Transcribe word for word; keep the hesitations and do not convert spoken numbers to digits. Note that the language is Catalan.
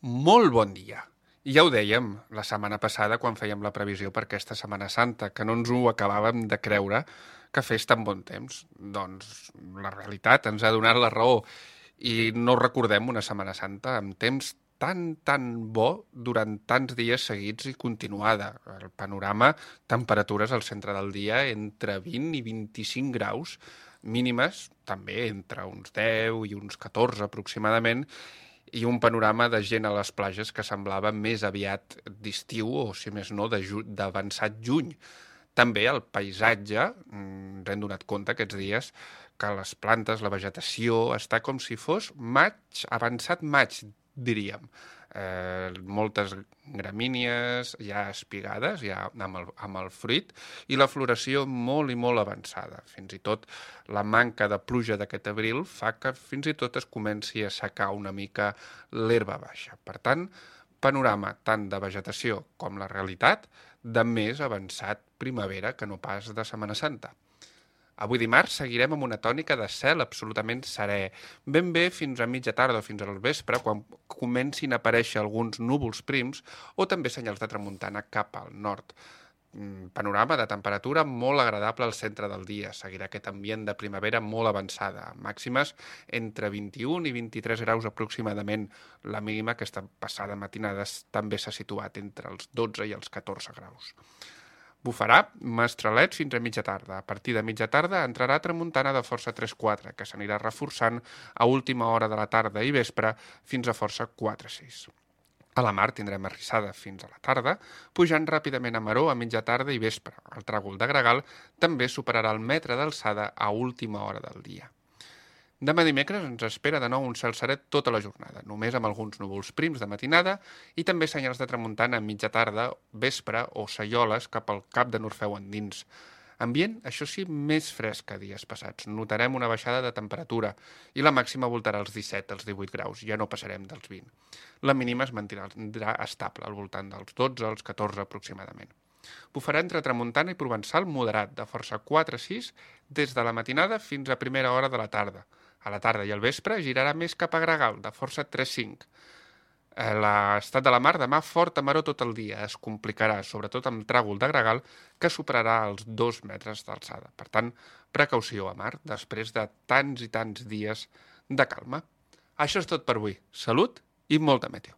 Molt bon dia. I ja ho dèiem la setmana passada quan fèiem la previsió per aquesta Setmana Santa, que no ens ho acabàvem de creure que fes tan bon temps. Doncs la realitat ens ha donat la raó i no recordem una Setmana Santa amb temps tan, tan bo durant tants dies seguits i continuada. El panorama, temperatures al centre del dia entre vint i vint-i-cinc graus, mínimes també entre uns deu i uns catorze aproximadament, i un panorama de gent a les platges que semblava més aviat d'estiu o, si més no, d'avançat juny. També el paisatge, ens hem donat compte aquests dies, que les plantes, la vegetació, està com si fos maig, avançat maig, diríem. Eh, moltes gramínies ja espigades, ja amb el, amb el fruit, i la floració molt i molt avançada. Fins i tot la manca de pluja d'aquest abril fa que fins i tot es comenci a secar una mica l'herba baixa. Per tant, panorama tant de vegetació com la realitat de més avançat primavera que no pas de Setmana Santa. Avui dimarts seguirem amb una tònica de cel absolutament serè, ben bé fins a mitja tarda o fins al vespre, quan comencin a aparèixer alguns núvols prims o també senyals de tramuntana cap al nord. Panorama de temperatura molt agradable al centre del dia. Seguirà aquest ambient de primavera molt avançada, màximes entre vint-i-un i vint-i-tres graus aproximadament. La mínima aquesta passada matinada també s'ha situat entre els dotze i els catorze graus. Bufarà mestralet fins a mitja tarda. A partir de mitja tarda entrarà tramuntana de força tres quatre, que s'anirà reforçant a última hora de la tarda i vespre fins a força quatre sis. A la mar tindrem arrissada fins a la tarda, pujant ràpidament a maró a mitja tarda i vespre. El tràgol de gregal també superarà el metre d'alçada a última hora del dia. Demà dimecres ens espera de nou un cel serè tota la jornada, només amb alguns núvols prims de matinada i també senyals de tramuntana a mitja tarda, vespre o saioles cap al cap de Norfeu endins. Ambient, això sí, més fresc que dies passats. Notarem una baixada de temperatura i la màxima voltarà als disset, als divuit graus, ja no passarem dels vint. La mínima es mantindrà estable, al voltant dels dotze als catorze aproximadament. Bufarà entre tramuntana i provençal moderat, de força quatre sis, des de la matinada fins a primera hora de la tarda. A la tarda i al vespre girarà més cap a gregal, de força tres cinc. L'estat de la mar demà fort a maró tot el dia. Es complicarà, sobretot amb tràgol de gregal, que superarà els dos metres d'alçada. Per tant, precaució a mar, després de tants i tants dies de calma. Això és tot per avui. Salut i molta meteo.